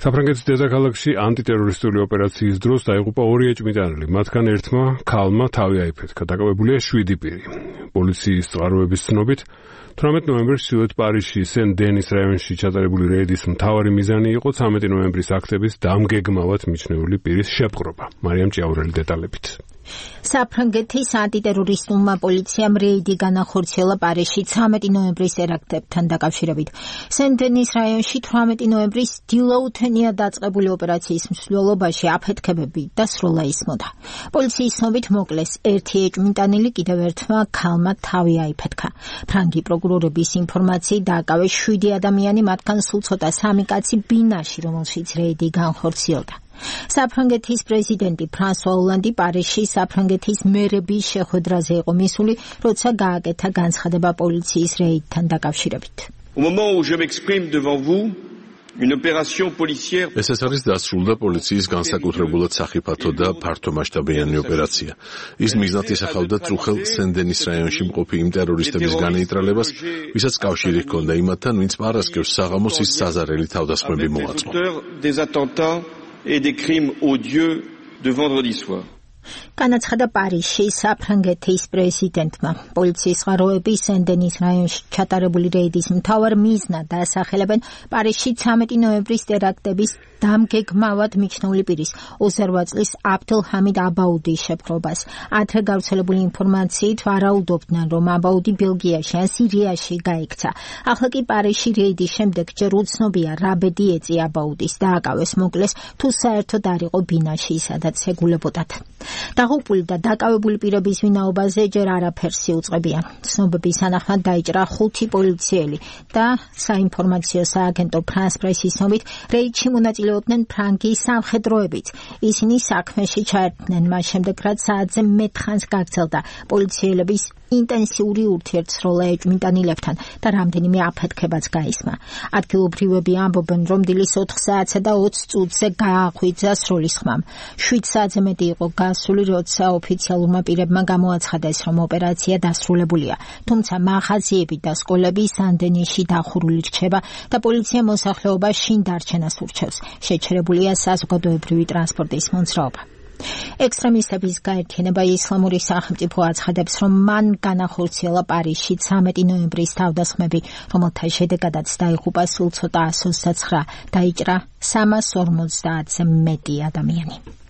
საფრანგეთის დედაქალაქში ანტიტერორისტული ოპერაციის დროს დაიღუპა 2 ეჭვმიტანილი, მათგან ერთმა ქალმა თავი აიფეთქა, დაკავებულია 7 პირი. პოლიციის წყაროების ცნობით 18 ნოემბერს ჩრდილოეთ პარიზში სენ-დენის რაიონში ჩატარებული რეიდის მთავარი მიზანი იყო 13 ნოემბრის აქტების დამგეგმავად მიჩნეული პირის შეპყრობა. მარიამ ჭიაურელი დეტალებით. საფრანგეთის ანტიტერორისტულმა პოლიციამ რეიდი განახორციელა პარიზში 13 ნოემბრის ტერაქტებთან დაკავშირებით. სენ-დენის რაიონში 18 ნოემბრის დილაუთენია დაწყებული ოპერაციის მსვლელობაში აფეთქებები და სროლა ისმოდა. პოლიციის ცნობით მოკლეს ერთი ეჭვმიტანილი, კიდევ ერთმა ქალმა თავი აიფეთქა. ფრანგი პროკურორების ინფორმაციით დააკავეს 7 ადამიანი, მათგან სულ ცოტა 3 კაცი ბინაში, რომელშიც რეიდი განხორციელდა. საფრანგეთის პრეზიდენტი ფრანსუა ოლანდი პარიზში საფრანგეთის მერების შეხვედრაზე იყო მისული, როცა გააკეთა განცხადება პოლიციის რეიდთან დაკავშირებით. ეს არის დასრულდა პოლიციის განსაკუთრებულად სახიფათო და ფართომასშტაბიანი ოპერაცია. ის მიზნად ისახავდა წუხელ სენ-დენის რაიონში მყოფი იმ ტერორისტების განეიტრალებას, ვისაც კავშირი ჰქონდა იმათთან, ვინც პარასკევს საღამოს ის საზარელი თავდასხმები მოაწყო. et des crimes odieux de vendredi soir. განაცხადა პარიზში საფრანგეთის პრეზიდენტმა. პოლიციის წყაროები სენ-დენის რაიონში ჩატარებული რეიდის მთავარ მიზნად დაასახელებენ პარიზში 13 ნოემბრის ტერაქტების დამგეგმავად მიჩნეული პირის 28 წლის აბდელჰამიდ აბაუდის შეპყრობას. ადრე გავრცელებული ინფორმაციით ვარაუდობდნენ, რომ აბაუდი ბელგიაში ან სირიაში გაიქცა. ახლა კი პარიზში რეიდის შემდეგ ჯერ უცნობია რა ბედი ეწია აბაუდის, დააკავეს, მოკლეს, თუ საერთოდ არ იყო ბინაში, სადაც ეგულებოდათ. დაღუპული და დაკავებული პირების ვინაობაზე ჯერ არაფერს იუწყებიან. ცნობების თანახმად დაიჭრა 5 პოლიციელი და საინფორმაციო სააგენტო ფრანს პრესის ცნობით რეიდში მონაწილეობდნენ ფრანგის სამხედროებიც. ისინი საქმეში ჩაერთნენ მას შემდეგ, რაც საათზე მეტხანს გაგრძელდა პოლიციელების ინტენსიური ურთიერთსროლა ეჭვმიტანილებთან და რამდენიმე აფეთქებაც გაისმა. ადგილობრივები ამბობენ, რომ დილის 4 საათსა და 20 წუთზე გაახვიძა სროლის ხმამ. 7 საათზე მეტი იყო გასული, როცა ოფიციალურმა პირებმა გამოაცხადეს, რომ ოპერაცია დასრულებულია. თუმცა მაღაზიები და სკოლები სან-დენისში დახურული რჩება და პოლიცია მოსახლეობას შინ დარჩენას ურჩევს. შეჩერებულია საზოგადოებრივი ტრანსპორტის მოძრაობა. ექსტრემისტების გაერთიანება ისლამური სახელმწიფო აცხადებს, რომ მან განახორციელა პარიზში 13 ნოემბრის თავდასხმები, რომელთა შედეგადაც დაიღუპა სულ ცოტა 129, დაიჭრა 350-ზე მეტი ადამიანი.